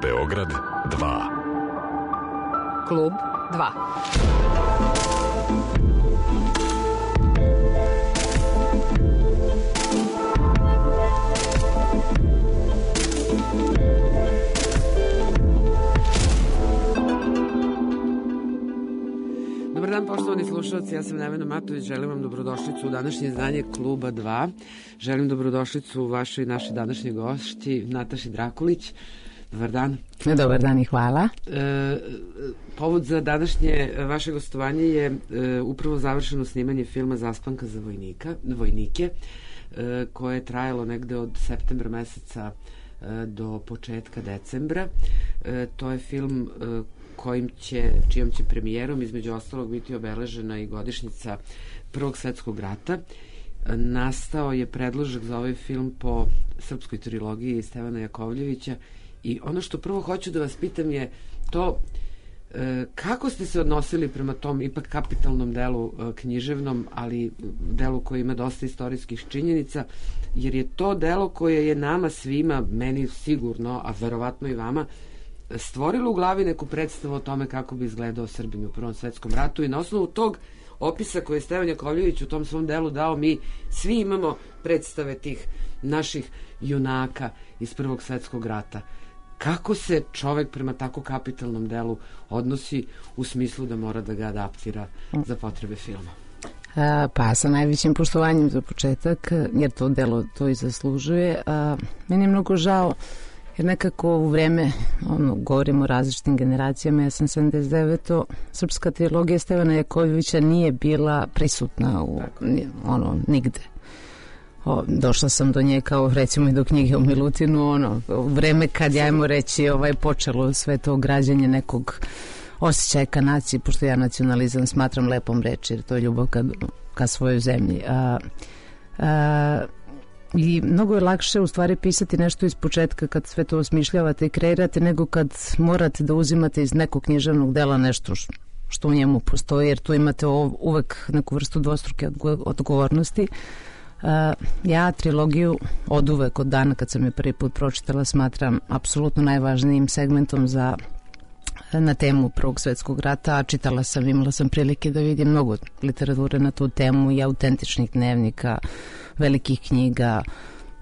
Beograd 2. Klub 2. Dobar dan, poštovani slušalci, ja sam Nevena Matović, želim vam dobrodošlicu u današnje izdanje Kluba 2. Želim dobrodošlicu vašoj i našoj današnjoj gošći, Nataši Drakulić. Dobar dan. Dobar dan i hvala. Povod za današnje vaše gostovanje je upravo završeno snimanje filma Zaspanka za vojnike, koje je trajalo negde od septembra meseca do početka decembra. To je film čijom će premijerom između ostalog biti obeležena i godišnjica Prvog svetskog rata. Nastao je predložak za ovaj film po srpskoj trilogiji Stevana Jakovljevića i ono što prvo hoću da vas pitam je to kako ste se odnosili prema tom ipak kapitalnom delu književnom, ali delu koji ima dosta istorijskih činjenica, jer je to delo koje je nama svima, meni sigurno, a verovatno i vama, stvorilo u glavi neku predstavu o tome kako bi izgledao Srbin u Prvom svetskom ratu i na osnovu tog opisa koje je Stevan Jakovljević u tom svom delu dao, mi svi imamo predstave tih naših junaka iz Prvog svetskog rata. Kako se čovek prema tako kapitalnom delu odnosi u smislu da mora da ga adaptira za potrebe filma? Pa sa najvećim poštovanjem za početak, jer to delo to i zaslužuje. Meni je mnogo žao, jer nekako u vreme, govorimo o različitim generacijama, ja sam 79. Srpska trilogija Stevana Jakovljevića nije bila prisutna nigde. Došla sam do nje kao recimo i do knjige o Milutinu, u vreme kad ja ajmo reći počelo sve to građenje nekog osjećaja ka naciji, pošto ja nacionalizam smatram lepom reči, jer to je ljubav ka svojoj zemlji. I mnogo je lakše u stvari pisati nešto iz početka kad sve to osmišljavate i kreirate, nego kad morate da uzimate iz nekog književnog dela nešto što u njemu postoji, jer tu imate uvek neku vrstu dvostruke odgovornosti. Ja trilogiju od uvek, od dana kad sam je prvi put pročitala, smatram apsolutno najvažnijim segmentom na temu Prvog svetskog rata, a čitala sam, imala sam prilike da vidim mnogo literature na tu temu i autentičnih dnevnika, velikih knjiga,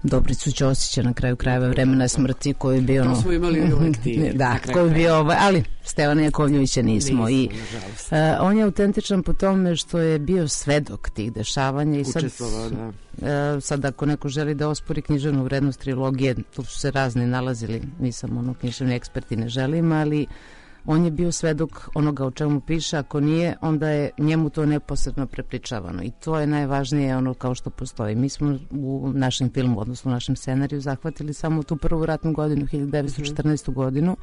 Dobricu Ćosića, na kraju krajeva Vremena smrti, koji je bio... To smo imali u lektivi. Da, koji je bio, ali Stevana Jakovljevića nismo. I on je autentičan po tome što je bio svedok tih dešavanja. Učestvovao, da. Sad ako neko želi da ospori književnu vrednost trilogije, tu su se razni nalazili, nisam književni ekspert i ne želim, ali on je bio svedok onoga o čemu piše, ako nije, onda je njemu to neposredno prepričavano i to je najvažnije kao što postoji. Mi smo u našem filmu, odnosno u našem scenariju, zahvatili samo tu prvu ratnu godinu, 1914. godinu,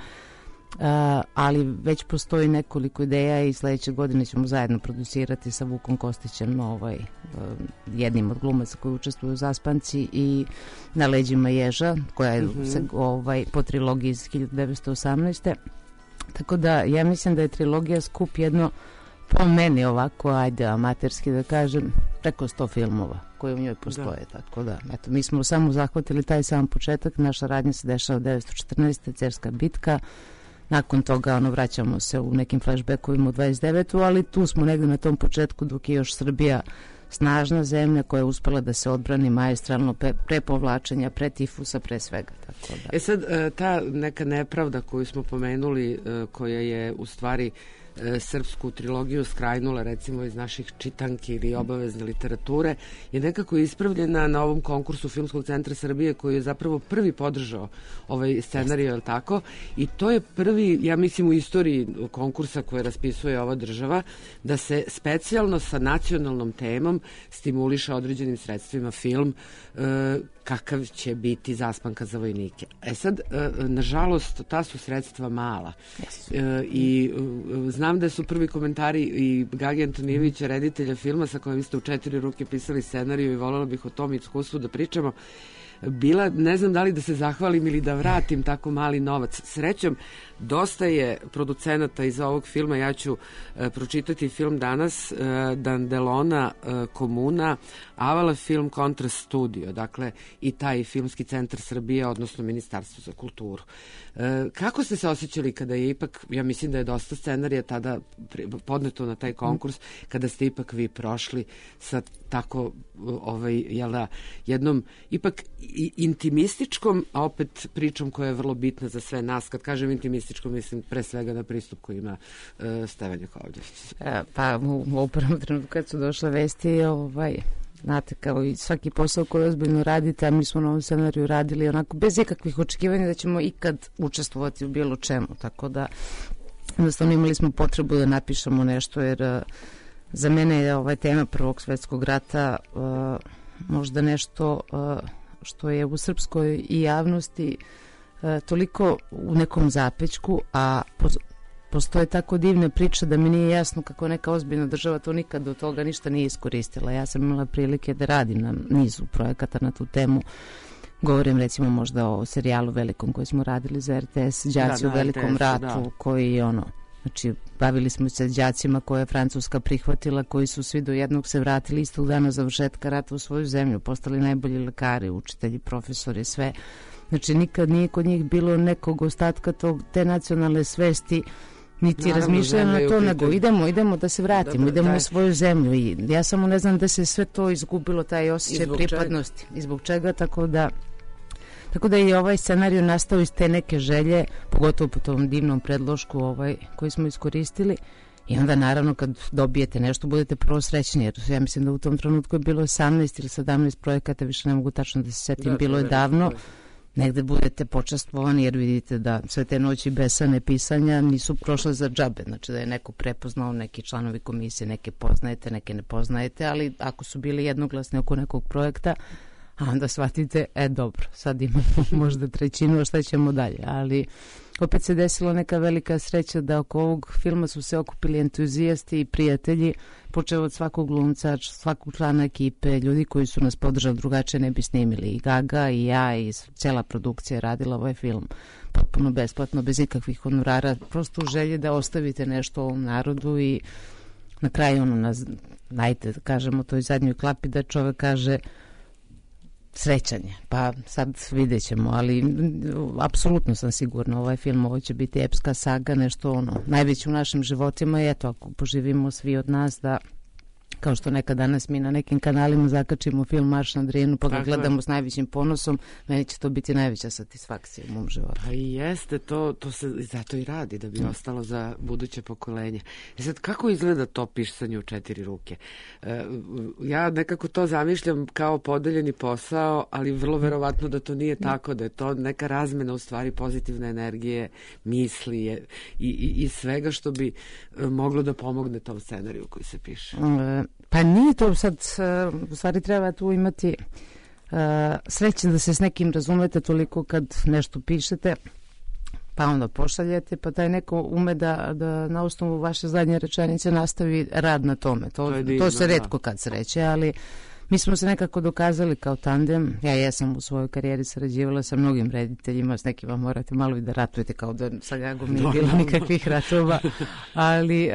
ali već postoji nekoliko ideja i sledeće godine ćemo zajedno producirati sa Vukom Kostićem, jednim od glumaca koji učestvuju u Zaspanci, i Na leđima ježa, koja je po trilogiji iz 1918. Tako da ja mislim da je trilogija skup jedno, po meni ovako, amaterski da kažem, preko 100 filmova koji u njoj postoje. Da. Tako da, eto, mi smo samo zahvatili taj sam početak, naša radnja se dešava 1914. Cerska bitka, nakon toga vraćamo se u nekim flashbackovima u 29. ali tu smo negde na tom početku dok je još Srbija snažna zemlja koja je uspela da se odbrani maestralno pre povlačenja, pre tifusa, pre svega. Tako da. Sad, ta neka nepravda koju smo pomenuli, koja je u stvari srpsku trilogiju skrajnula recimo iz naših čitanki ili obavezne literature, je nekako ispravljena na ovom konkursu Filmskog centra Srbije koji je zapravo prvi podržao ovaj scenarij, je li tako? I to je prvi, ja mislim, u istoriji konkursa koje raspisuje ova država, da se specijalno sa nacionalnom temom stimuliše određenim sredstvima film kakav će biti Zaspanka za vojnike. Sad, nažalost, ta su sredstva mala. I znam da su prvi komentari i Gage Antonijevića, reditelja filma sa kojim ste u 4 ruke pisali scenariju, i voljela bih o tom iskustvu da pričamo. bila, ne znam da li da se zahvalim ili da vratim tako mali novac. Srećom, dosta je producenata iz ovog filma, ja ću pročitati film danas, Dandelona Komuna, Avala Film Kontrast Studio, dakle i taj Filmski centar Srbije, odnosno Ministarstvo za kulturu. Kako ste se osjećali kada je ipak, ja mislim da je dosta scenarija tada podneto na taj konkurs, kada ste ipak vi prošli sa tako jednom ipak intimističkom, a opet pričom koja je vrlo bitna za sve nas. Kad kažem intimističkom, mislim pre svega na pristup koji ima Stevan Jakovljević. Pa u prvom trenutku kad su došle vesti, znate, kao i svaki posao koji ozbiljno radite, a mi smo na ovom scenariju radili onako bez ikakvih očekivanja da ćemo ikad učestvovati u bilo čemu, tako da jednostavno imali smo potrebu da napišemo nešto, jer za mene je tema Prvog svetskog rata možda nešto što je u srpskoj i javnosti toliko u nekom zapećku, a postoje tako divne priče da mi nije jasno kako neka ozbiljna država to nikad do toga ništa nije iskoristila. Ja sam imala prilike da radim na nizu projekata na tu temu. Govorim recimo možda o serijalu velikom koji smo radili za RTS, Đaci u velikom ratu, koji znači bavili smo se đacima koje je Francuska prihvatila, koji su svi do jednog se vratili istog dana završetka rata u svoju zemlju, postali najbolji lekari, učitelji, profesori, sve. Znači nikad nije kod njih bilo nekog ostatka te nacionalne svesti, niti razmišljaju na to, nego idemo da se vratimo, idemo u svoju zemlju. I ja samo ne znam da se sve to izgubilo, taj osjećaj pripadnosti. I zbog čega, tako da je i ovaj scenarij nastao iz te neke želje, pogotovo po tom divnom predlošku koji smo iskoristili. I onda naravno kad dobijete nešto budete prvo srećni, jer ja mislim da u tom trenutku je bilo 18 ili 17 projekata, više ne mogu tačno da se setim, bilo je davno. Negde budete počastvovani jer vidite da sve te noći besane pisanja nisu prošle za džabe, znači da je neko prepoznao, neki članovi komisije, neke poznajete, neke ne poznajete, ali ako su bili jednoglasni oko nekog projekta, a onda shvatite, dobro, sad imamo možda trećinu, a šta ćemo dalje, ali opet se desila neka velika sreća da oko ovog filma su se okupili entuzijasti i prijatelji, počeo od svakog glumca, svakog člana ekipe, ljudi koji su nas podržali, drugačije ne bi snimili. I Gaga i ja i cijela produkcija je radila ovaj film potpuno besplatno, bez ikakvih honorara, prosto u želji da ostavite nešto ovom narodu i na kraju najte, kažemo toj zadnjoj klapi da čovek kaže srećan je, pa sad vidjet ćemo, ali apsolutno sam sigurna, ovaj film, ovo će biti epska saga, nešto najveće u našim životima i eto, ako poživimo svi od nas da, kao što nekad danas mi na nekim kanalima zakačimo film Marš na Drinu, pa ga gledamo s najvećim ponosom, meni će to biti najveća satisfakcija u mom životu. Pa i jeste, to se zato i radi, da bi ostalo za buduće pokolenje. I sad, kako izgleda to pisanje u 4 ruke? Ja nekako to zamišljam kao podeljeni posao, ali vrlo verovatno da to nije tako, da je to neka razmena u stvari pozitivne energije, misli i svega što bi moglo da pomogne tom scenariju koji se piše. Pa nije to sad, u stvari treba tu imati sreće da se s nekim razumete toliko kad nešto pišete, pa onda pošaljete, pa taj neko ume da na osnovu vaše zadnje rečenice nastavi rad na tome. To se retko kad sreće, ali mi smo se nekako dokazali kao tandem. Ja jesam u svojoj karijeri sarađivala sa mnogim rediteljima, s nekima morate malo i da ratujete, kao da sa Gagom nije bilo nikakvih ratova, ali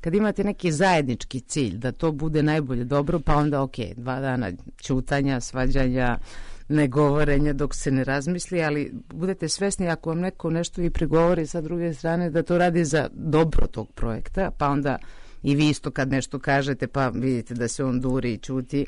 kad imate neki zajednički cilj da to bude najbolje dobro, pa onda 2 dana ćutanja, svađanja, negovorenja dok se ne razmisli, ali budete svesni ako vam neko nešto i pregovori sa druge strane da to radi za dobro tog projekta, pa onda i vi isto kad nešto kažete pa vidite da se on duri i ćuti,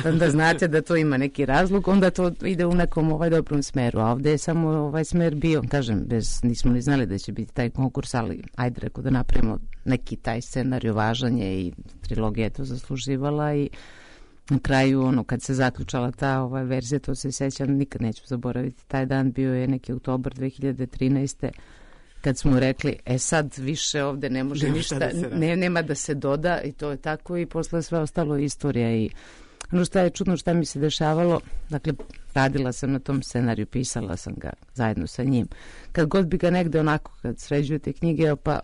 onda znate da to ima neki razlog, onda to ide u nekom dobrom smeru, a ovde je samo ovaj smer bio, kažem, nismo ni znali da će biti taj konkurs, ali ajde reko da napravimo neki taj scenarij, važan je i trilogija je to zasluživala i na kraju, kad se zaključala ta verzija, to se sjećam, nikad neću zaboraviti, taj dan bio je neki oktobar 2013. kad smo rekli, sad više ovde ne može ništa, nema da se doda i to je tako i posle sve ostalo istorija. I ono što je čudno šta mi se dešavalo, dakle, radila sam na tom scenariju, pisala sam ga zajedno sa njim. Kad god bi ga negde onako, kad sređujete knjige, pa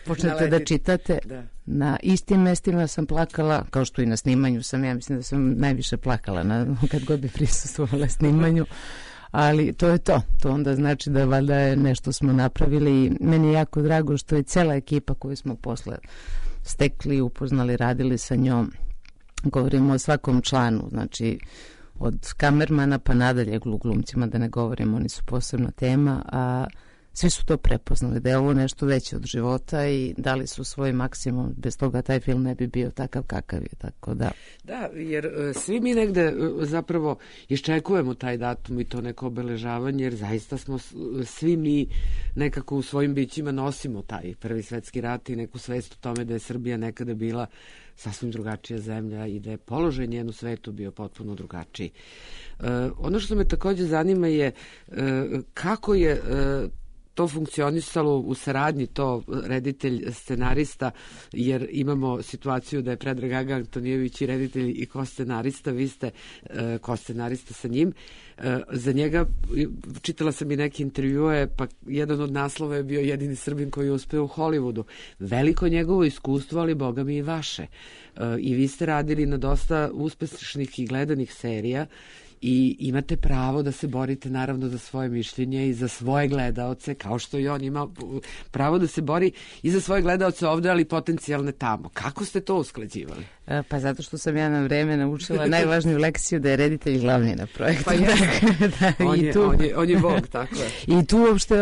počnete da čitate, Na istim mestima sam plakala, kao što i na snimanju sam, ja mislim da sam najviše plakala kad god bi prisustvovala snimanju, ali to je to. To onda znači da valjda je nešto smo napravili i meni je jako drago što je cela ekipa koju smo posle stekli, upoznali, radili sa njom. Govorimo o svakom članu, znači od kamermana pa nadalje glumcima, da ne govorimo, oni su posebna tema, a svi su to prepoznali, da je ovo nešto veće od života i dali su svoj maksimum. Bez toga taj film ne bi bio takav kakav je, tako da... Da, jer svi mi negde zapravo iščekujemo taj datum i to neko obeležavanje, jer zaista smo svi mi nekako u svojim bićima nosimo taj Prvi svetski rat i neku svest o tome da je Srbija nekada bila sasvim drugačija zemlja i da je položaj njen u svetu bio potpuno drugačiji. Ono što me takođe zanima je kako je to funkcionisalo u saradnji, to reditelj, scenarista, jer imamo situaciju da je Predrag Gaga Antonijević i reditelj i ko-scenarista, vi ste ko-scenarista sa njim. Za njega, čitala sam i neke intervjue, pa jedan od naslova je bio jedini Srbin koji je uspeo u Hollywoodu. Veliko njegovo iskustvo, ali boga mi i vaše. I vi ste radili na dosta uspešnih i gledanih serija i imate pravo da se borite naravno za svoje mišljenje i za svoje gledaoce, kao što i on ima pravo da se bori i za svoje gledaoce ovde, ali potencijalne tamo. Kako ste to usklađivali? Pa zato što sam ja na vreme naučila najvažniju lekciju da je reditelj glavni na projektu. Pa on je Bog, tako je. I tu uopšte,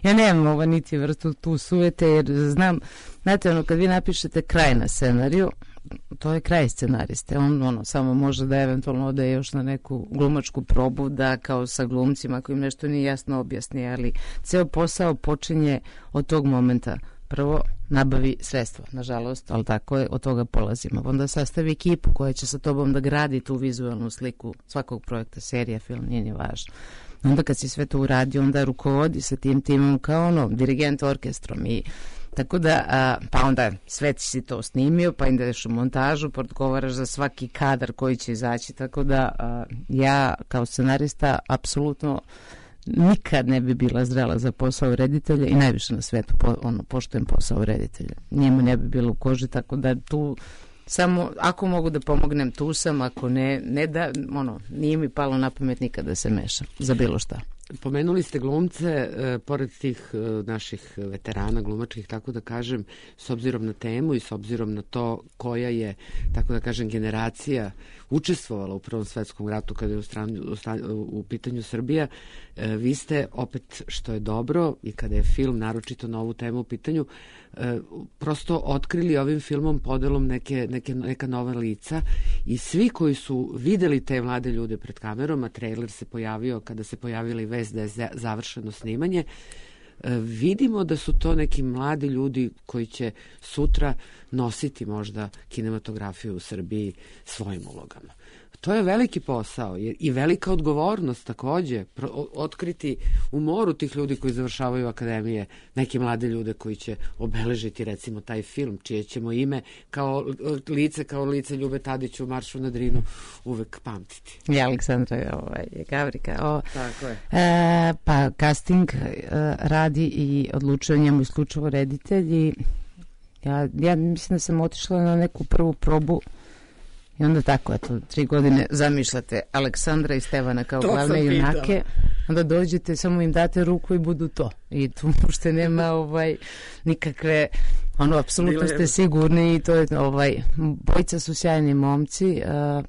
ja nemam niti vrstu tu sujete, jer znam, znate, kad vi napišete kraj na scenariju, to je kraj scenariste. On samo može da eventualno ode još na neku glumačku probu, da kao sa glumcima, ako im nešto nije jasno objasni, ali ceo posao počinje od tog momenta. Prvo nabavi sredstva, nažalost, ali tako je, od toga polazimo. Onda sastavi ekipu koja će sa tobom da gradi tu vizualnu sliku svakog projekta, serija, film, nije ni važno. Onda kad si sve to uradi, onda rukovodi sa tim timom kao dirigent orkestrom i tako da, pa onda sve si to snimio, pa ideš u montažu, pa odgovaraš za svaki kadar koji će izaći, tako da ja kao scenarista apsolutno nikad ne bi bila zrela za posao reditelja i najviše na svetu poštujem posao reditelja. Njemu ne bi bilo u koži, tako da tu samo ako mogu da pomognem, tu sam, ako ne da, nije mi palo na pamet nikad da se mešam za bilo šta. Pomenuli ste glumce, pored tih naših veterana glumačkih, tako da kažem, s obzirom na temu i s obzirom na to koja je, tako da kažem, generacija učestvovala u Prvom svetskom ratu kada je u pitanju Srbija, vi ste opet, što je dobro i kada je film naročito na ovu temu u pitanju, prosto otkrili ovim filmom podelom neka nova lica i svi koji su videli te mlade ljude pred kamerom, a trailer se pojavio kada se pojavila i vest da je završeno snimanje, vidimo da su to neki mladi ljudi koji će sutra nositi možda kinematografiju u Srbiji svojim ulogama. To je veliki posao i velika odgovornost takođe, otkriti u moru tih ljudi koji završavaju akademije neke mlade ljude koji će obeležiti recimo taj film, čije ćemo ime kao lice Ljube Tadić u Maršu na Drinu uvek pamtiti. I Aleksandra Gavrika. Tako je. Pa casting radi i odlučuje njemu isključivo reditelj i ja mislim da sam otišla na neku prvu probu i onda tako, 3 godine zamišljate Aleksandra i Stevana kao glavne junake, onda dođete, samo im date ruku i budu to. I tu uopšte nema nikakve, apsolutno ste sigurni i to je, bojica su sjajni momci,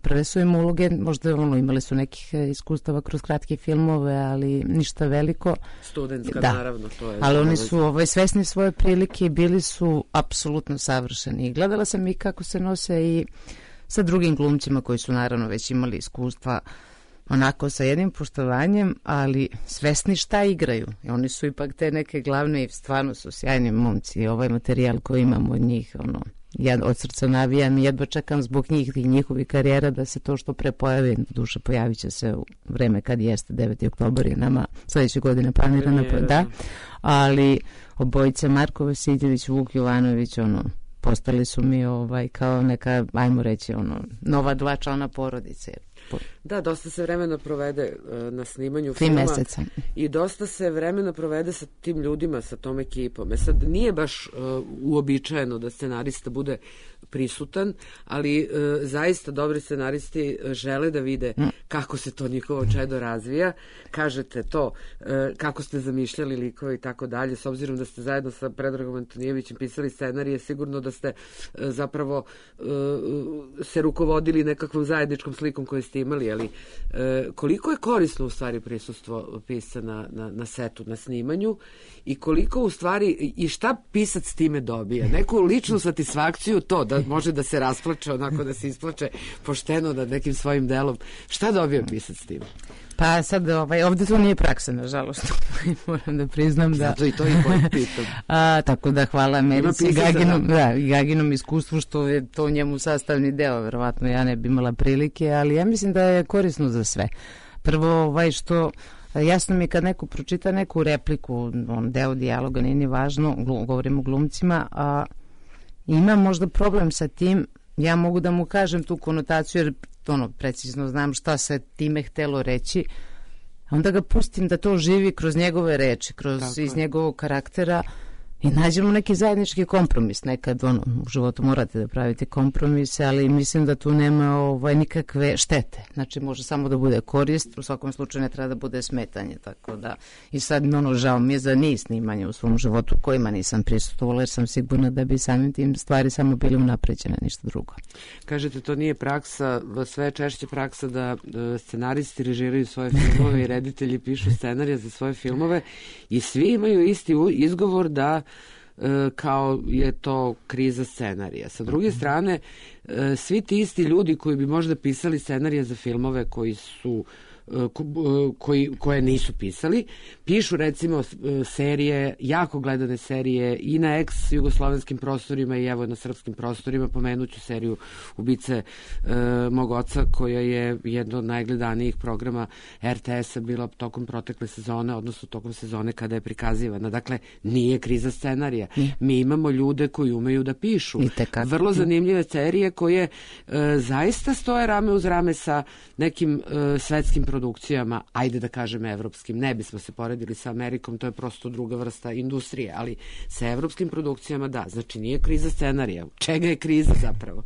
prve su im uloge, možda imali su nekih iskustava kroz kratke filmove, ali ništa veliko. Studentska, naravno, to je. Ali oni su svesni svoje prilike i bili su apsolutno savršeni. I gledala sam i kako se nose i sa drugim glumcima koji su naravno već imali iskustva onako sa jednim poštovanjem, ali svesni šta igraju. I oni su ipak te neke glavne i stvarno su sjajni momci. I ovaj materijal koji imam od njih, ja od srca navijam i jedva čekam zbog njih i njihovih karijera da se to što pre pojavi. Duša pojavit će se u vreme kad jeste 9. oktobar i nama sledeće godine planirana, da. Ali obojica Marko Vasiljević, Vuk Jovanović, postali su mi kao neka, ajmo reći, nova 2 člana porodice. Da, dosta se vremena provede na snimanju filma. 3 meseca. I dosta se vremena provede sa tim ljudima, sa tom ekipom. Sad, nije baš uobičajeno da scenarista bude prisutan, ali zaista dobri scenaristi žele da vide kako se to njihovo čedo razvija. Kažete to, kako ste zamišljali likove i tako dalje, s obzirom da ste zajedno sa Predragom Antonijevićem pisali scenarije, sigurno da ste zapravo se rukovodili nekakvom zajedničkom slikom koju ste imali, ali koliko je korisno u stvari prisustvo pisca na setu, na snimanju i koliko u stvari i šta pisac time dobija? Neku ličnu satisfakciju, to da može da se rasplače, onako da se isplače pošteno nad nekim svojim delom. Šta dobija pisac time? Pa sad, ovde to nije praksa, nažalost. Moram da priznam da... Zato i to i pitam. Tako da hvala Americi i Gaginom iskustvu što je to njemu sastavni deo. Verovatno ja ne bi imala prilike, ali ja mislim da je korisno za sve. Prvo, što... Jasno mi je kad neko pročita neku repliku, deo dijaloga, nije ni važno, govorim o glumcima, a ima možda problem sa tim, ja mogu da mu kažem tu konotaciju, jer precizno znam šta se time htelo reći, onda ga pustim da to živi kroz njegove reči, iz njegovog karaktera i nađemo neki zajednički kompromis. Nekad u životu morate da pravite kompromise, ali mislim da tu nema nikakve štete. Znači može samo da bude korist, u svakom slučaju ne treba da bude smetanje. Tako da, i sad žao mi je za niz snimanja u svom životu kojima nisam prisustvovala, jer sam sigurna da bi samim tim stvari samo bili unapređene, ništa drugo. Kažete, to nije praksa, sve češće praksa da scenaristi režiraju svoje filmove i reditelji pišu scenarije za svoje filmove i svi imaju isti izgovor da kao je to kriza scenarija. Sa druge strane, svi ti isti ljudi koji bi možda pisali scenarije za filmove koje nisu pisali, pišu recimo serije, jako gledane serije i na ex-jugoslovenskim prostorima i evo na srpskim prostorima. Pomenuću seriju Ubice mog oca, koja je jedno od najgledanijih programa RTS-a bila tokom protekle sezone, odnosno tokom sezone kada je prikazivana. Dakle, nije kriza scenarija. Mi imamo ljude koji umeju da pišu. Vrlo zanimljive serije koje zaista stoje rame uz rame sa nekim svetskim produkcijama, ajde da kažem evropskim, ne bismo se poredili sa Amerikom, to je prosto druga vrsta industrije, ali sa evropskim produkcijama da, znači nije kriza scenarija. Čega je kriza zapravo?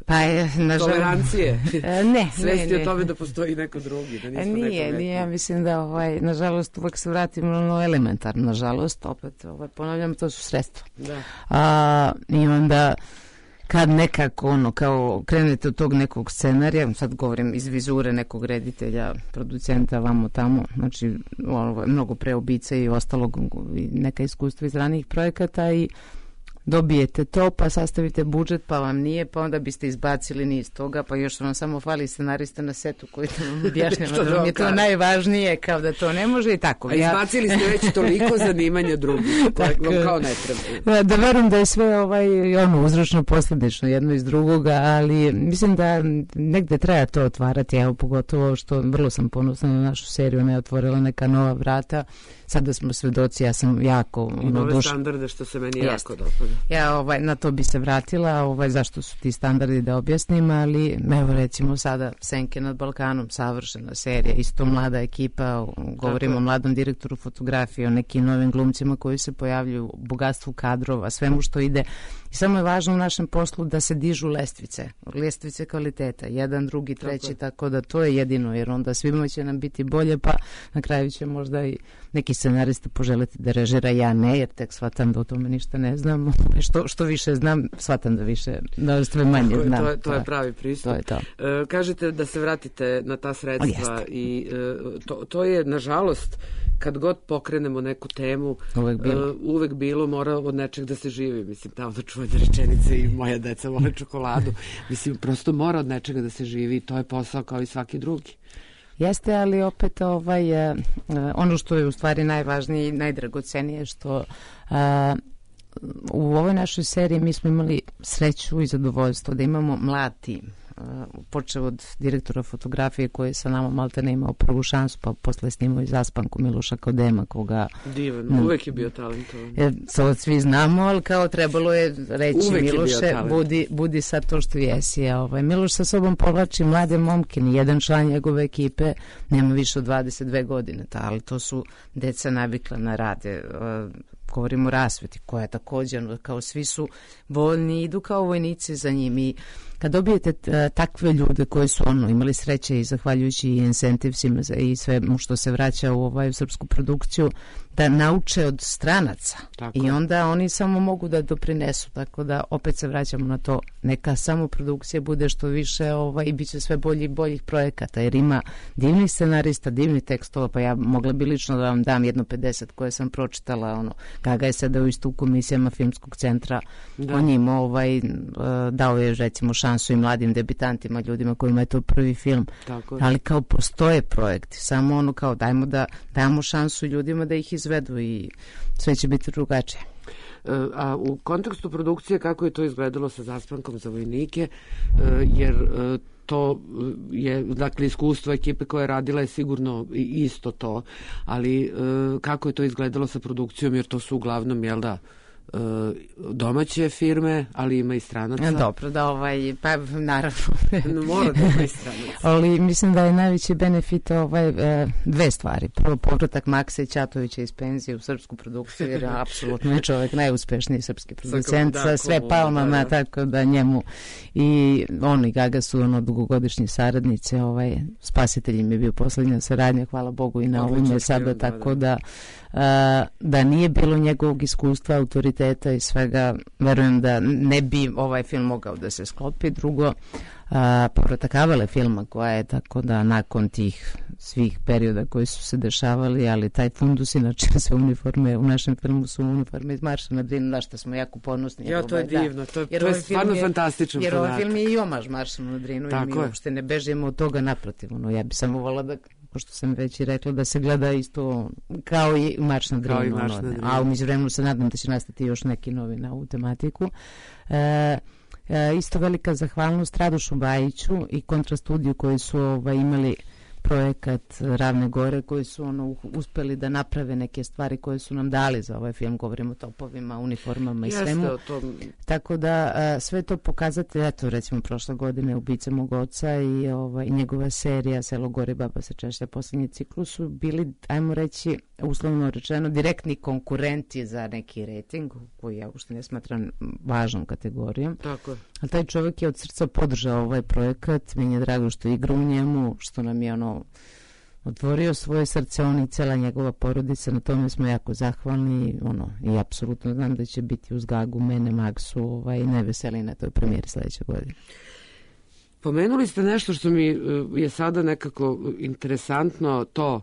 Pa je, tolerancije. Ne. Svesti o tome da postoji neko drugi, da nismo nije, ja mislim da nažalost uvek se vratimo na elementarno, nažalost, opet ponavljam, to su sredstva. Da. I onda kad nekako kao krenete od tog nekog scenarija, sad govorim iz vizure nekog reditelja, producenta, vamo tamo, znači mnogo pre Ubice i ostalog, neka iskustva iz ranijih projekata i dobijete to, pa sastavite budžet, pa vam nije, pa onda biste izbacili niz toga, pa još vam samo fali scenarista na setu koji vam objašnjava da vam je to najvažnije, kao da to ne može i tako. A izbacili ste već toliko zanimanja drugih, vam kao ne treba. Da verujem da je sve uzročno posledično jedno iz drugoga, ali mislim da negde treba to otvarati, evo pogotovo što vrlo sam ponosna na našu seriju, ona je otvorila neka nova vrata. Sada smo svedoci, ja sam jako... I nove standarde, što se meni jako dopada. Ja na to bi se vratila, zašto su ti standardi da objasnim, ali evo recimo sada Senke nad Balkanom, savršena serija, isto mlada ekipa, govorimo o mladom direktoru fotografije, o nekim novim glumcima koji se pojavljuju, bogatstvu kadrova, svemu što ide. I samo je važno u našem poslu da se dižu lestvice kvaliteta, jedan, drugi, treći, tako da to je jedino, jer onda svima će nam biti bolje, pa na kraju će možda i neki scenarista poželiti da režira, ja ne, jer tek shvatam da o tome ništa ne znam, što više znam, shvatam da sve manje znam. To je pravi pristup. To je to. Kažete da se vratite na ta sredstva i to je, nažalost, kad god pokrenemo neku temu, uvek bilo, mora od nečeg da se živi. Mislim, ta onda čuvena rečenica i moja deca vole čokoladu. Mislim, prosto mora od nečega da se živi i to je posao kao i svaki drugi. Jeste, ali opet ono što je u stvari najvažnije i najdragocenije što u ovoj našoj seriji mi smo imali sreću i zadovoljstvo da imamo mlad tim. počeo od direktora fotografije koji je sa nama malte ne imao prvu šansu, pa posle snimao i Zaspanku Miloša Kodema, koga... Divan, uvek je bio talentovan. To svi znamo, ali kao trebalo je reći uvek Miloše, budi sad to što jesi. Miloš sa sobom povlači mlade momke, nijedan član njegove ekipe nema više od 22 godine, ali to su deca navikla na rade. Govorimo o rasveti koja je također, kao svi su voljni, idu kao vojnici za njim i kad dobijete takve ljude koji su imali sreće i zahvaljujući i incentivsima i sve što se vraća u srpsku produkciju, da nauče od stranaca. Tako. I onda oni samo mogu da doprinesu, tako da opet se vraćamo na to, neka samo produkcija bude što više i bit će sve bolji i boljih projekata, jer ima divnih scenarista, divnih tekstova, pa ja mogla bi lično da vam dam 50 koje sam pročitala, Gaga je sedao isto u komisijama Filmskog centra, on im dao je recimo šansu i mladim debitantima, ljudima kojima je to prvi film. Ali kao postoje projekti, samo kao dajmo šansu ljudima da ih izvedu i sve će biti drugačije. A u kontekstu produkcije kako je to izgledalo sa Zaspankom za vojnike, jer to je, dakle, iskustvo ekipe koja je radila je sigurno isto to, ali kako je to izgledalo sa produkcijom, jer to su uglavnom, jel da, domaće firme, ali ima i stranaca. Dobro, da pa naravno. Mora da ima i stranaca. Ali mislim da je najveći benefit dve stvari. Prvo, povratak Maksa i Ćatovića iz penzije u srpsku produkciju, jer apsolutno je čovjek najuspešniji srpski producent, sa sve palmama, tako da njemu i on i Gaga su dugogodišnji saradnice, Spasitelj im je bio posljednja saradnja, hvala Bogu i na ovome sada, tako da nije bilo njegovog iskustva, autoriteta i svega, verujem da ne bi ovaj film mogao da se sklopi. Drugo, povratak Avale filma koja je, tako da nakon tih svih perioda koji su se dešavali, ali taj fundus, inače sve uniforme u našem filmu su uniforme iz Marša na Drinu, na što smo jako ponosni. Ja, to je divno, to je stvarno fantastičan podatak. Jer ovaj film je i omaž Marša na Drinu i mi uopšte ne bežimo od toga, naprotiv. Ja bi samo volila da, pošto sam već i rekla, da se gleda isto kao i Marš na Drinu. A u međuvremenu se nadam da će nastati još neki novi na ovu tematiku. Isto velika zahvalnost Radošu Bajiću i Kontrastudiju koji su imali projekat Ravne gore, koji su uspeli da naprave neke stvari koje su nam dali za ovaj film, govorimo o topovima, uniformama i svemu. Tako da sve to pokazate, eto recimo prošle godine Ubica mog oca i njegova serija Selo gore, baba se češlja, posljednji ciklus su bili, ajmo reći, uslovno rečeno, direktni konkurenti za neki rating, koji ja uopšte ne smatram važnom kategorijom. Tako. Ali taj čovjek je od srca podržao ovaj projekat, meni je drago što igra u njemu, što nam je otvorio svoje srce, on i cela njegova porodica, na tome smo jako zahvalni, i apsolutno znam da će biti uz Gagu, mene, Maksu, najveseli na toj premijeri sledeće godine. Pomenuli ste nešto što mi je sada nekako interesantno, to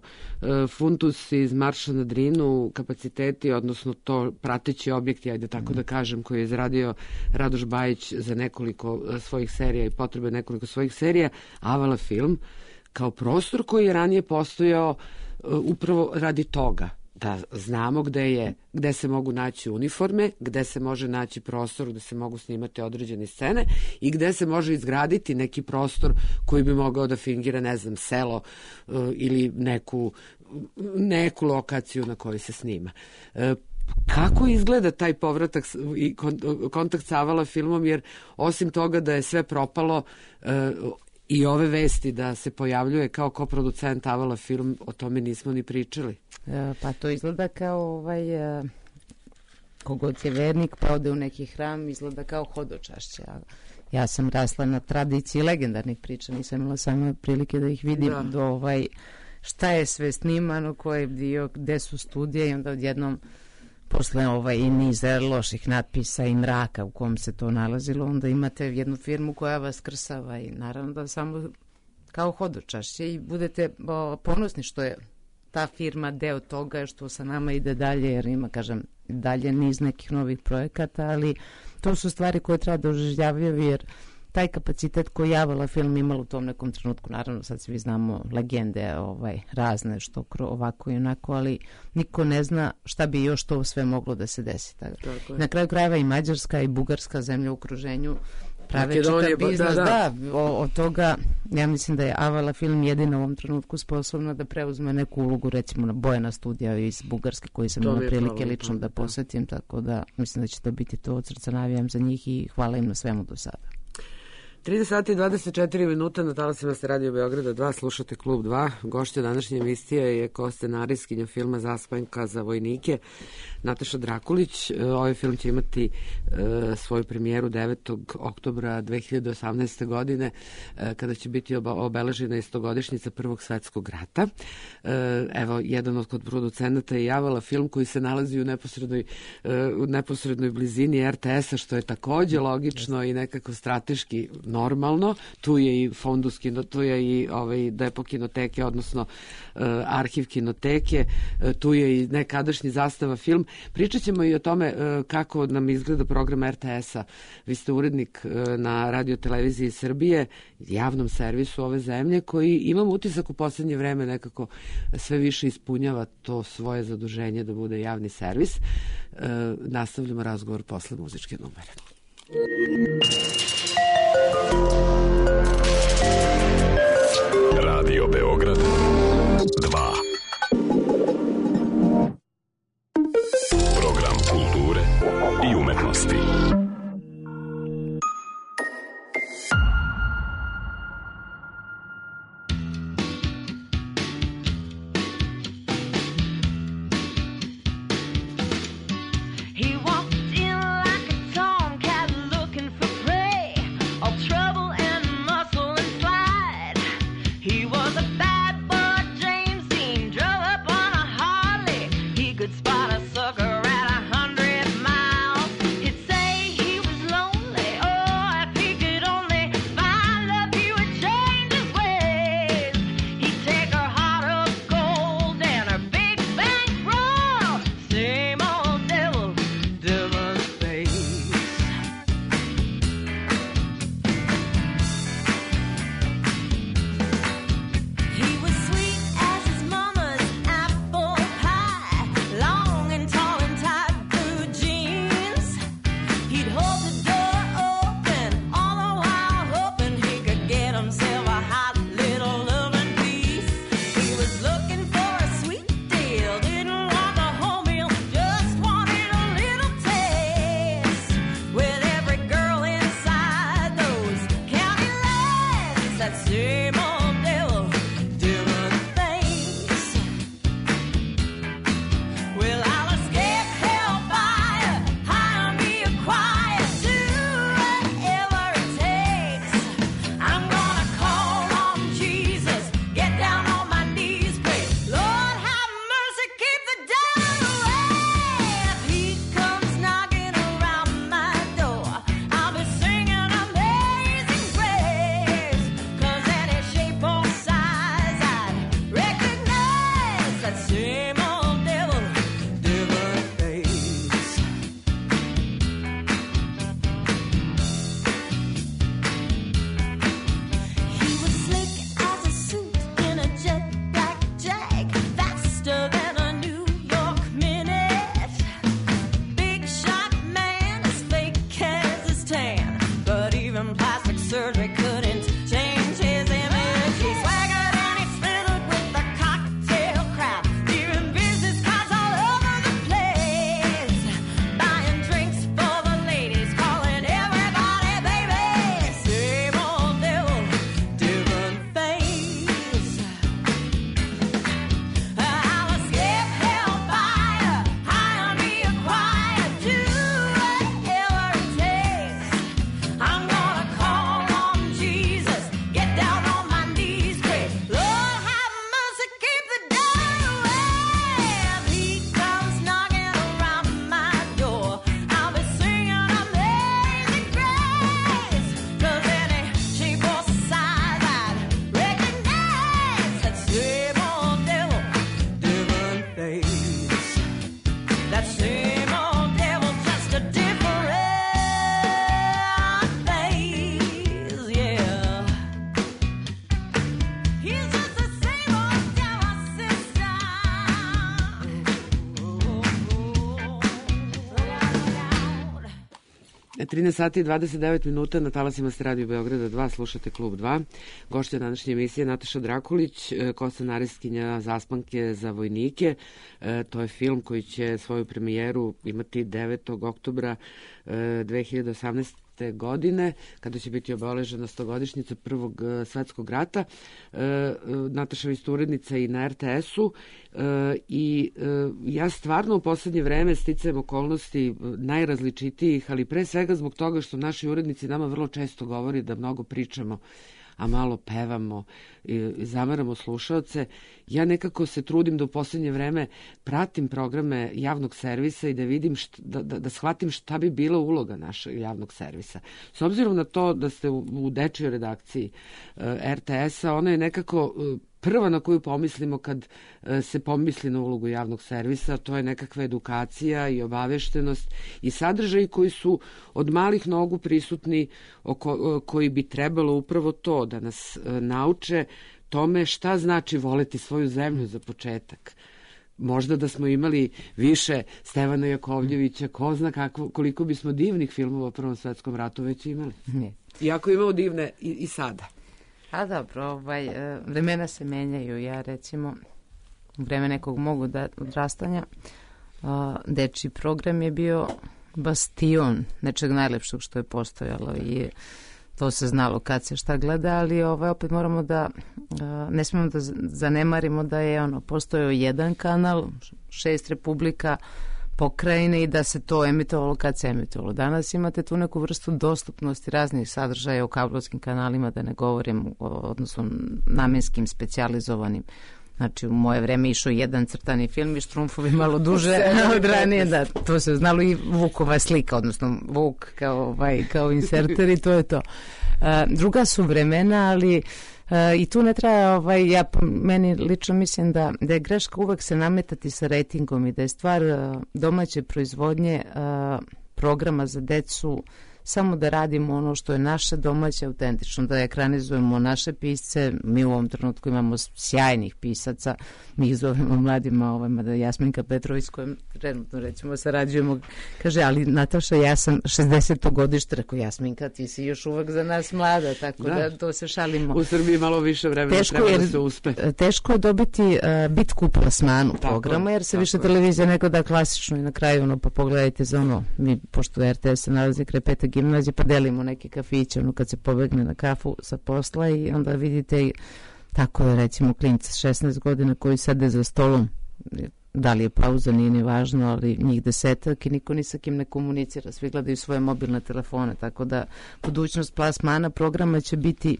fundus iz Marša na Drinu, kapaciteti, odnosno to prateći objekti, ajde tako da kažem, koji je izradio Radoš Bajić za nekoliko svojih serija i potrebe nekoliko svojih serija, Avala film, kao prostor koji je ranije postojao upravo radi toga, da znamo gde se mogu naći uniforme, gde se može naći prostor gde se mogu snimati određene scene i gde se može izgraditi neki prostor koji bi mogao da fingira, ne znam, selo ili neku lokaciju na kojoj se snima. Kako izgleda taj povratak i kontakt sa Avala filmom, jer osim toga da je sve propalo, i ove vesti da se pojavljuje kao koproducent Avala film, o tome nismo ni pričali. Pa to izgleda kao kogod je vernik pa ode u neki hram, izgleda kao hodočašće. Ja sam rasla na tradiciji legendarnih priča, nisam imala samo prilike da ih vidim do šta je sve snimano, ko je dio, gde su studije i onda odjednom posle i niz loših natpisa i mraka u kom se to nalazilo, onda imate jednu firmu koja vas krsava i naravno da samo kao hodočašće i budete ponosni što je ta firma deo toga, što sa nama ide dalje, jer ima, kažem, dalje niz nekih novih projekata, ali to su stvari koje treba da oživljavaju, jer taj kapacitet koji je Avala film imala u tom nekom trenutku, naravno sad svi znamo legende razne, što ovako i onako, ali niko ne zna šta bi još to sve moglo da se desi. Na kraju krajeva i Mađarska i Bugarska, zemlja u okruženju, prave čitav biznis, od toga ja mislim da je Avala film jedina u ovom trenutku sposobna da preuzme neku ulogu, recimo na Bojana Studija iz Bugarske, koji sam imala prilike lično da posetim, tako da mislim da će to biti to, od srca navijam za njih i hvala im na svemu do sada. 30 sati i 24 minuta na talasima ste Radio Beograda 2, slušate Klub 2. Gošća današnje emisije je ko-scenarijskinja filma Zaspanka za vojnike, Nataša Drakulić. Ovaj film će imati svoju premijeru 9. oktobra 2018. godine, kada će biti obeležena istogodišnjica Prvog svetskog rata. Evo, jedan od producenata je Javala film koji se nalazi u neposrednoj blizini RTS-a, što je takođe logično i nekako strateški normalno. Tu je i Fondus tu je i depo kinoteke, odnosno arhiv kinoteke, tu je i nekadašnji Zastava film. Pričat ćemo i o tome kako nam izgleda program RTS-a. Vi ste urednik na Radio-televiziji Srbije, javnom servisu ove zemlje, koji imam utisak u poslednje vreme nekako sve više ispunjava to svoje zaduženje da bude javni servis. Nastavljamo razgovor posle muzičke numere. Radio Beograd 2. Program kulture i umetnosti. 13 sati i 29 minuta na talasima ste Radio Beograda 2, slušate Klub 2. Gošća današnje emisije Nataša Drakulić, koscenarijskinja Zaspanke za vojnike. To je film koji će svoju premijeru imati 9. oktobra 2018. godine, kada će biti obeležena 100-godišnjica Prvog svetskog rata. Nataša je isto urednica i na RTS-u i ja stvarno u poslednje vreme sticajem okolnosti najrazličitijih, ali pre svega zbog toga što naši urednici nama vrlo često govori da mnogo pričamo, a malo pevamo i zamaramo slušaoce. Ja nekako se trudim da u poslednje vreme pratim programe javnog servisa i da vidim, da shvatim šta bi bila uloga našeg javnog servisa. S obzirom na to da ste u dečijoj redakciji RTS-a, ona je nekako prva na koju pomislimo kad se pomisli na ulogu javnog servisa, to je nekakva edukacija i obaveštenost i sadržaji koji su od malih nogu prisutni, koji bi trebalo upravo to da nas nauče tome šta znači voleti svoju zemlju za početak. Možda da smo imali više Stevana Jakovljevića, ko zna koliko bismo divnih filmova o Prvom svetskom ratu već imali. Iako imamo divne i sada. A dobro, vremena se menjaju. Ja recimo u vreme nekog mog odrastanja dečiji program je bio bastion nečeg najlepšeg što je postojalo i to se znalo kad se šta gleda, ali opet moramo da ne smemo da zanemarimo da je postojao jedan kanal, 6 republika, pokrajine i da se to emitovalo kad se emitovalo. Danas imate tu neku vrstu dostupnosti raznih sadržaja u kablovskim kanalima, da ne govorim odnosno namenskim, specijalizovanim. Znači, u moje vreme išao jedan crtani film i Štrumfovi malo duže od ranije, da, to se znalo i Vukova slika, odnosno Vuk kao inserter i to je to. Druga su vremena, ali i tu ne treba, ja meni lično mislim da je greška uvek se nametati sa rejtingom i da je stvar domaće proizvodnje programa za decu samo da radimo ono što je naše domaće, autentično, da ekranizujemo naše pisce. Mi u ovom trenutku imamo sjajnih pisaca, mi ih zovemo mladima, da Jasminka Petrović s kojom trenutno recimo sarađujemo, kaže, ali Nataša, ja sam 60. godište, rekao, Jasminka, ti si još uvek za nas mlada, tako da to se šalimo. U Srbiji malo više vremena treba da se uspe. Teško je dobiti bitku u plasmanu programa, jer se više televizija neko da klasično i na kraju, pa pogledajte za mi, pošto RTS se nalazi kraj Pete gimnazije, pa delimo neke kafiće, kad se pobegne na kafu sa posla i onda vidite tako je recimo klinci 16 godina koji sede za stolom, da li je pauza, nije ni važno, ali njih 10 i niko ni sa kim ne komunicira, svi gledaju svoje mobilne telefone, tako da budućnost plasmana programa će biti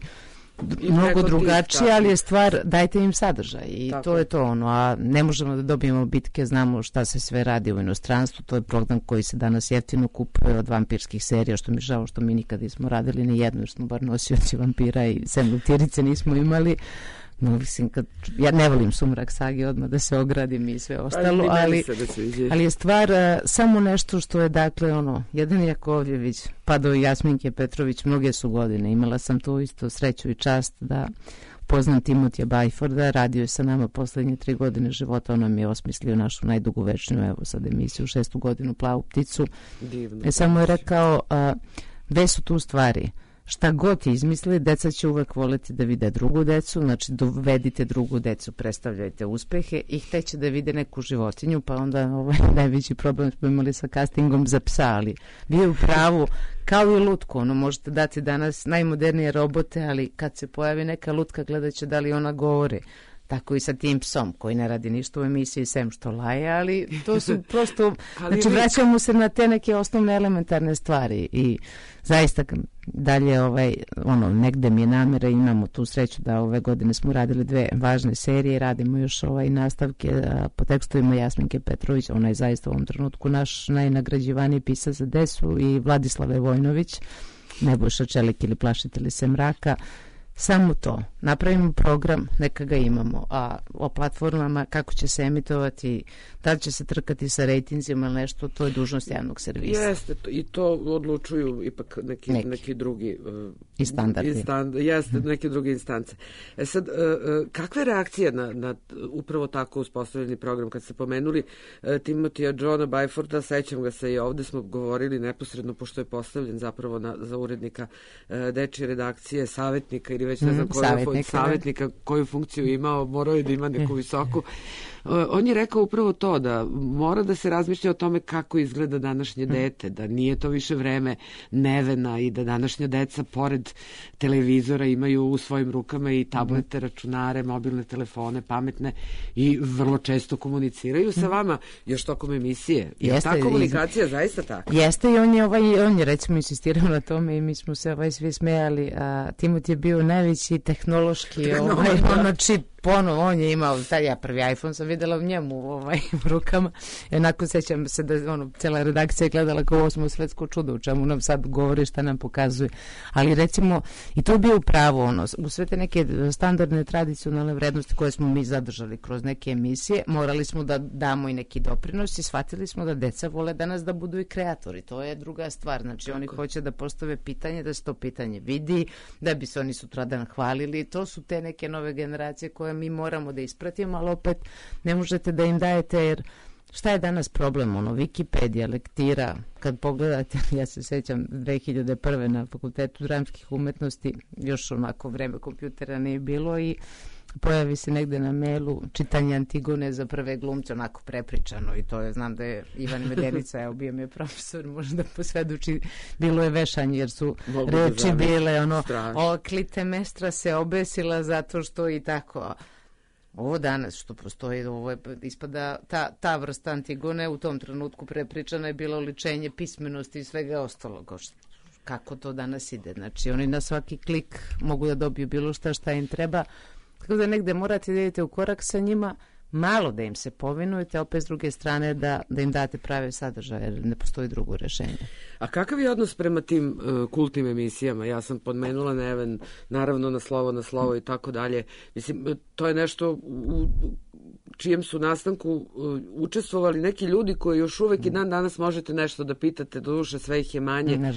mnogo drugačije, ali je stvar, dajte im sadržaj i tako. To je to a ne možemo da dobijemo bitke, znamo šta se sve radi u inostranstvu, to je program koji se danas jeftino kupuje od vampirskih serija, što mi žao što mi nikad nismo radili ni jednu, jer smo bar nosioci vampira i sem lutirice nismo imali. Mislim, ja ne volim Sumrak sage, odmah da se ogradim i sve ostalo, ali je stvar samo nešto što je, dakle, jedan Jakovljević, pa do Jasminke Petrović, mnoge su godine. Imala sam tu isto sreću i čast da poznam Timotija Bajforda, radio je sa nama poslednje 3 godine života, on nam je osmislio našu najdugovečniju, evo sad emisiju, 6. godinu Plavu pticu. Divno. Samo je rekao, dve su tu stvari. Šta god izmisli, deca će uvek voleti da vide drugu decu, znači dovedite drugu decu, predstavljajte uspehe i hteće da vide neku životinju, pa onda najveći problem smo imali sa castingom za psa, ali vi je u pravu, kao i lutku, možete dati danas najmodernije robote, ali kad se pojavi neka lutka, gledat će da li ona govori. Tako i sa tim psom koji ne radi ništa u emisiji sem što laje, ali to su prosto, znači vraćamo se na te neke osnovne elementarne stvari i zaista dalje negde mi je namera, imamo tu sreću da ove godine smo radili 2 važne serije, radimo još nastavke po tekstovima Jasminke Petrović, ona je zaista u ovom trenutku naš najnagrađivaniji pisac za decu, i Vladislave Vojnović, Nebojša Čelik ili Plašitelji se mraka. Samo to. Napravimo program, neka ga imamo. A o platformama, kako će se emitovati, da li će se trkati sa rejtinzima ili nešto, to je dužnost javnog servisa. Jeste, i to odlučuju ipak neki drugi i standardi. Jeste, neke druge instance. Sad, kakve reakcije na upravo tako uspostavljeni program? Kad ste pomenuli Timothea Johna Byforda, sećam ga se i ovde smo govorili neposredno, pošto je postavljen zapravo za urednika dečije redakcije, savjetnika ili već ne znam savjetnika koju funkciju imao, morao je da ima neku visoku. On je rekao upravo to, da mora da se razmišlja o tome kako izgleda današnje dete, da nije to više vreme nevena i da današnja deca pored televizora imaju u svojim rukama i tablete, računare, mobilne telefone, pametne i vrlo često komuniciraju sa vama još tokom emisije. Je ta komunikacija zaista tako? Jeste i on je recimo insistirao na tome i mi smo se svi smejali, a Timot je bio najveći tehnološki čip. On je imao, ja prvi iPhone sam videla u njemu u rukama. Jednako sećam se da cela redakcija je gledala kao 8. svetsko čudo, u čemu nam sad govori, šta nam pokazuje. Ali recimo, i to je bio pravo, u sve te neke standardne tradicionalne vrednosti koje smo mi zadržali kroz neke emisije, morali smo da damo i neki doprinos i shvatili smo da deca vole danas da budu i kreatori. To je druga stvar. Znači, oni hoće da postave pitanje, da se to pitanje vidi, da bi se oni sutradan hvalili. To su te neke nove generacije koje mi moramo da ispratimo, ali opet ne možete da im dajete, jer šta je danas problem? Wikipedija, lektira, kad pogledate, ja se sećam 2001. na Fakultetu dramskih umetnosti, još onako vreme kompjutera nije bilo i pojavi se negde na mailu čitanje Antigone za prve glumce, onako prepričano i to je, znam da je Ivan Medenica, evo bio mi je profesor, možda posvedoči, bilo je vešanje jer su reči bile Klitemestra se obesila zato što i tako. Ovo danas što postoji, ovo je ispada ta vrsta Antigone u tom trenutku prepričana je bila oličenje pismenosti i svega ostalog. Kako to danas ide? Znači oni na svaki klik mogu da dobiju bilo šta im treba. Tako da negde morate da idete u korak sa njima, malo da im se povinujete, opet s druge strane da im date prave sadržaje, jer ne postoji drugo rešenje. A kakav je odnos prema tim kultnim emisijama? Ja sam podmenula Neven, naravno na slovo i tako dalje. Mislim, to je nešto u čijem su nastanku učestvovali neki ljudi koji još uvek i dan danas možete nešto da pitate, doduše sve ih je manje.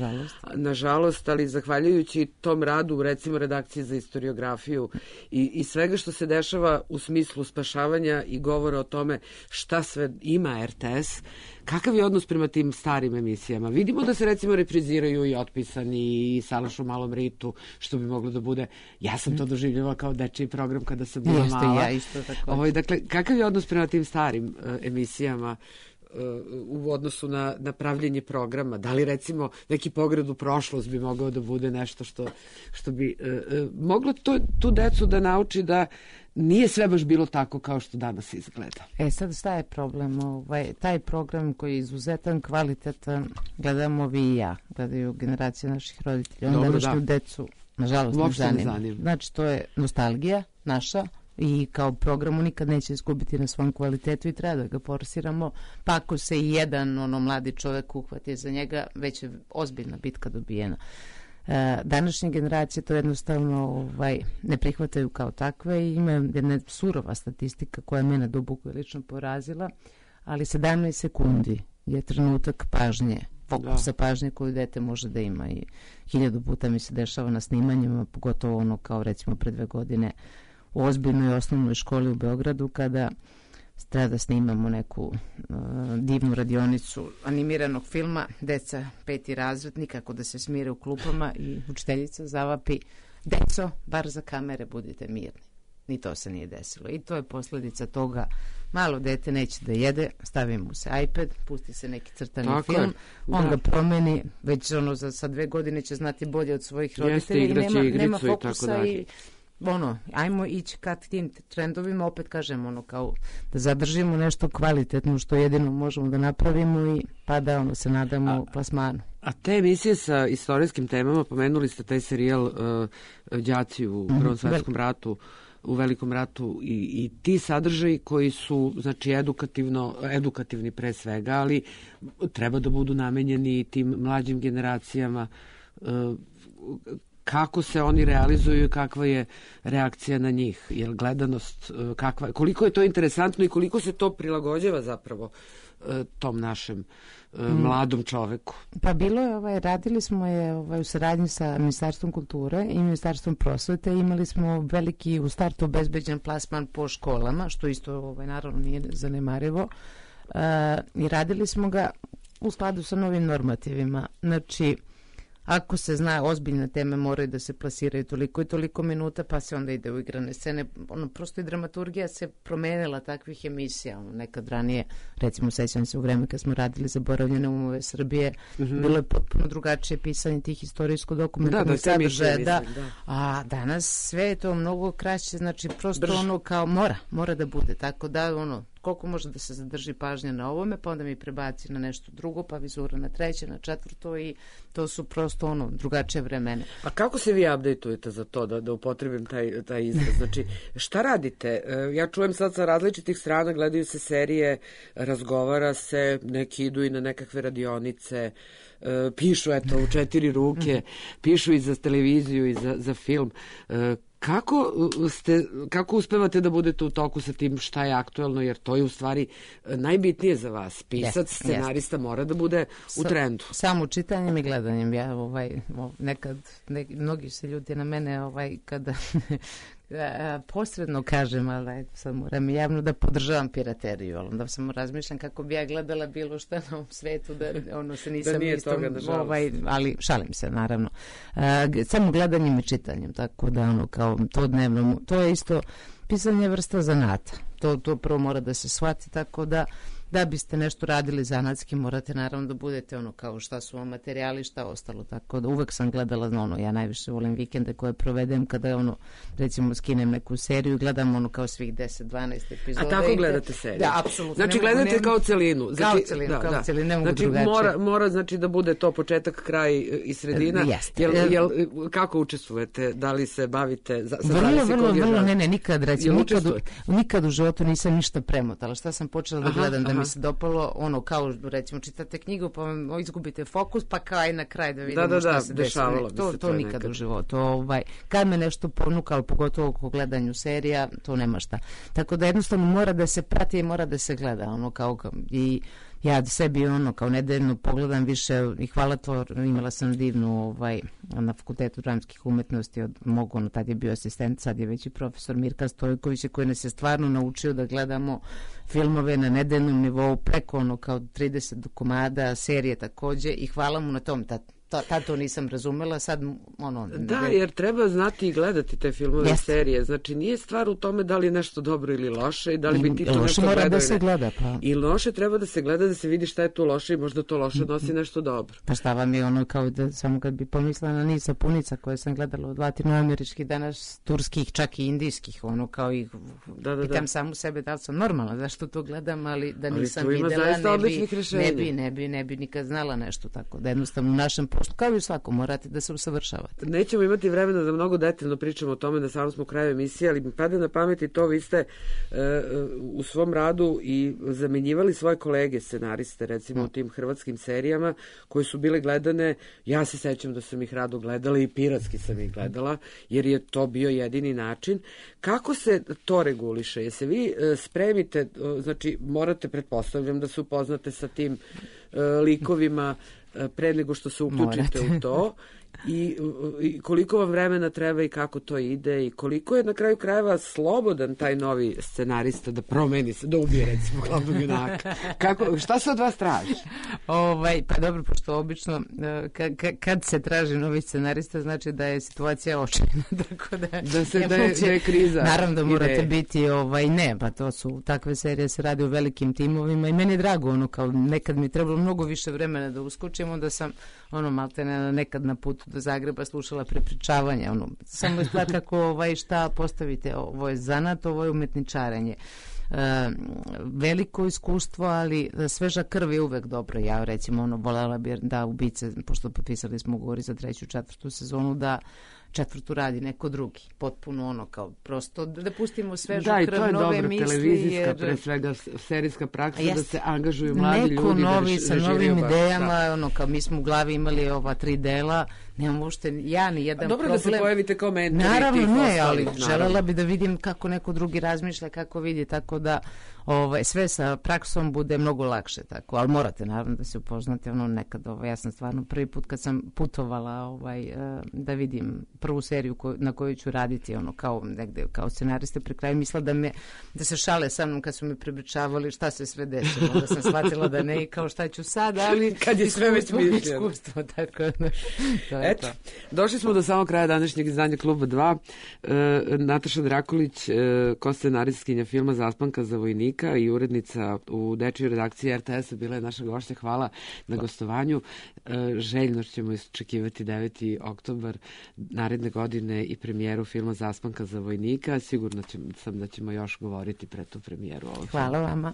Nažalost, ali zahvaljujući tom radu, recimo redakcije za istoriografiju i svega što se dešava u smislu spašavanja i govora o tome šta sve ima RTS, kakav je odnos prema tim starim emisijama? Vidimo da se recimo repriziraju i Otpisani i Salaš u malom ritu, što bi moglo da bude, ja sam to doživljavala kao dečiji program kada sam bila mala. Ja isto tako. Dakle, kakav je odnos prema tim starim emisijama u odnosu na pravljenje programa? Da li recimo neki pogled u prošlost bi mogao da bude nešto što bi moglo tu decu da nauči da nije sve baš bilo tako kao što danas izgleda? Sad šta je problem? Taj program koji je izuzetan, kvalitetan, gledamo vi i ja, gledaju generacije naših roditelja. Onda današnju decu, nažalost, ne zanima. Znači, to je nostalgija naša, i kao programu nikad neće izgubiti na svom kvalitetu i treba da ga forsiramo, pa ako se i jedan mladi čovek uhvati za njega, već je ozbiljna bitka dobijena. Današnje generacije to jednostavno ne prihvataju kao takve i ima jedna surova statistika koja mene duboko je lično porazila, ali 17 sekundi je trenutak pažnje, fokusa pažnje koju dete može da ima i 1000 puta mi se dešava na snimanjima, pogotovo kao recimo pre 2 godine u ozbiljnoj osnovnoj školi u Beogradu kada treba da snimamo neku divnu radionicu animiranog filma, deca 5. razred, nikako da se smire u klupama i učiteljica zavapi: deco, bar za kamere budite mirni. Ni to se nije desilo. I to je posledica toga. Malo dete neće da jede, stavi mu se iPad, pusti se neki crtani film, on ga promeni, već za 2 godine će znati bolje od svojih roditelja i nema fokusa i ajmo ići ka tim trendovima, opet kažem, kao da zadržimo nešto kvalitetno što jedino možemo da napravimo i pa da se nadamo plasmanu. A te emisije sa istorijskim temama, pomenuli ste taj serijal Đaci u Prvom svetskom ratu, u Velikom ratu i ti sadržaji koji su, znači, edukativni pre svega, ali treba da budu namenjeni tim mlađim generacijama. kako se oni realizuju i kakva je reakcija na njih, jer gledanost, koliko je to interesantno i koliko se to prilagođava zapravo tom našem mladom čoveku. Pa bilo je, radili smo je u saradnji sa Ministarstvom kulture i Ministarstvom prosvete, imali smo veliki u startu obezbeđen plasman po školama, što isto naravno nije zanemarivo, i radili smo ga u skladu sa novim normativima. Znači, ako se zna ozbiljne teme moraju da se plasiraju toliko i toliko minuta, pa se onda ide u igrane scene. Prosto i dramaturgija se promenila takvih emisija. Nekad ranije, recimo sećam se u vreme kad smo radili Zaboravljene umove Srbije, bilo je potpuno drugačije pisanje tih istorijsko-dokumentarnih sadržaja. A danas sve je to mnogo kraće, znači prosto kao mora da bude. Tako da koliko može da se zadrži pažnja na ovome, pa onda mi prebaci na nešto drugo, pa vizura na treće, na četvrto i to su prosto drugačije vremene. A kako se vi update-ujete za to, da upotrebim taj izraz? Znači, šta radite? Ja čujem sad sa različitih strana, gledaju se serije, razgovara se, neki idu i na nekakve radionice, pišu u 4 ruke, pišu i za televiziju i za film. Kako uspevate da budete u toku sa tim šta je aktuelno, jer to je u stvari najbitnije za vas. Pisac, scenarista mora da bude u trendu. Samo čitanjem i gledanjem. Ja nekad, mnogi se ljudi na mene kada posredno kažem, ali sad moram javno da podržavam pirateriju, ali onda samo razmišljam kako bi ja gledala bilo šta na ovom svetu, da se nisam da nije toga, ali šalim se, naravno. Samo gledanjem i čitanjem, tako da kao to dnevno, to je isto pisanje vrsta zanata. To prvo mora da se shvati, tako da biste nešto radili zanatski, morate naravno da budete kao šta su vam materijali, šta ostalo, tako da uvek sam gledala ja najviše volim vikende koje provedem kada recimo skinem neku seriju, gledam kao svih 10-12 epizoda. A tako gledate seriju? Da, apsolutno. Znači gledate kao celinu? Kao celinu, ne mogu drugačije. Mora znači da bude to početak, kraj i sredina? Jeste. Kako učestvujete? Da li se bavite? Vrlo, ne, nikad u životu nisam ništa premotala. Šta sam počela da gledam, da mi se dopalo, kao recimo čitate knjigu pa izgubite fokus, pa kao aj na kraj da vidimo šta se dešava. To nikad u životu. Kad me nešto ponukalo, pogotovo oko gledanju serija, to nema šta. Tako da jednostavno mora da se prati i mora da se gleda. I ja sebi kao nedeljno pogledam više i hvala to, imala sam divnu na Fakultetu dramskih umetnosti od mog, tad je bio asistent, sad je već i profesor Mirka Stojković koji nas je stvarno naučio da gledamo filmove na nedeljnom nivou preko kao 30 komada, serije takođe i hvala mu na tom. Tad to nisam razumela, sad Da, jer treba znati i gledati te filmove i serije. Znači, nije stvar u tome da li je nešto dobro ili loše i da li bi ti to nešto gledao. Da se gleda, pa. I loše treba da se gleda, da se vidi šta je tu loše i možda to loše nosi nešto dobro. Pa šta vam je kao da samo kad bi pomislila na niz sapunica koje sam gledala od latinoameričkih, danas turskih, čak i indijskih, kao ih pitam samu sebe da li sam normalna, zašto to gledam, ali da nisam videla, ne bi nikad znala nešto tako. Da jednostavno u našem kao i u svakom, morate da se usavršavate. Nećemo imati vremena da mnogo detaljno pričamo o tome, da samo smo u kraju emisije, ali mi pada na pamet i to, vi ste u svom radu i zamenjivali svoje kolege scenariste, recimo u tim hrvatskim serijama koje su bile gledane, ja se sećam da sam ih rado gledala i piratski sam ih gledala, jer je to bio jedini način. Kako se to reguliše? Jesi vi spremite, znači morate, pretpostavljam da se upoznate sa tim likovima pre nego što se uključite u to i koliko vam vremena treba i kako to ide i koliko je na kraju krajeva slobodan taj novi scenarista da promeni se, da ubije recimo glavnog junaka. Šta se od vas traži? Pa dobro, pošto obično kad se traži novi scenarista znači da je situacija očajna, tako da je kriza. Naravno da morate biti pa to su takve serije, se radi o velikim timovima i meni je drago, kao nekad mi je trebalo mnogo više vremena da uskočim, onda sam maltene nekad na putu do Zagreba slušala prepričavanje, samo izgleda kako šta postavite, ovo je zanat, ovo je umetničarenje. Veliko iskustvo, ali sveža krv je uvek dobro. Ja recimo volela bi da ubice, pošto potpisali smo ugovori za 3. i 4. sezonu, da četvrtu radi neko drugi. Potpuno ono kao prosto da pustimo svežu krv, nove misli. Da, i to je dobra televizijska, pre svega serijska praksa, da se angažuju mladi ljudi. Neko novi sa novim idejama, ono kao mi smo u glavi imali ova 3 dela, nemamo uopšte ja ni jedan problem. Dobro da se pojavite kao mentori. Naravno ne, ali želela bi da vidim kako neko drugi razmišlja, kako vidi, tako da sve sa praksom bude mnogo lakše, tako, ali morate naravno da se upoznate, nekad, ja sam stvarno prvi put kad sam putovala da vidim prvu seriju na kojoj ću raditi, kao negde, kao scenariste, pri kraju mislila da se šale sa mnom kad su me prepričavali šta se sve desilo, da sam shvatila da ne i kao šta ću sad, ali kad je sve već iskustvo, tako da. Eto, došli smo do samog kraja današnjeg izdanja Kluba 2. Nataša Drakulić, ko-scenaristkinja filma Zaspanka za vojnika i urednica u dečijoj redakciji RTS-a, bila je naša gošća. Hvala na gostovanju. Željno ćemo iščekivati 9. oktobar naredne godine i premijeru filma Zaspanka za vojnika. Sigurno sam da ćemo još govoriti pre tu premijeru. Hvala vama.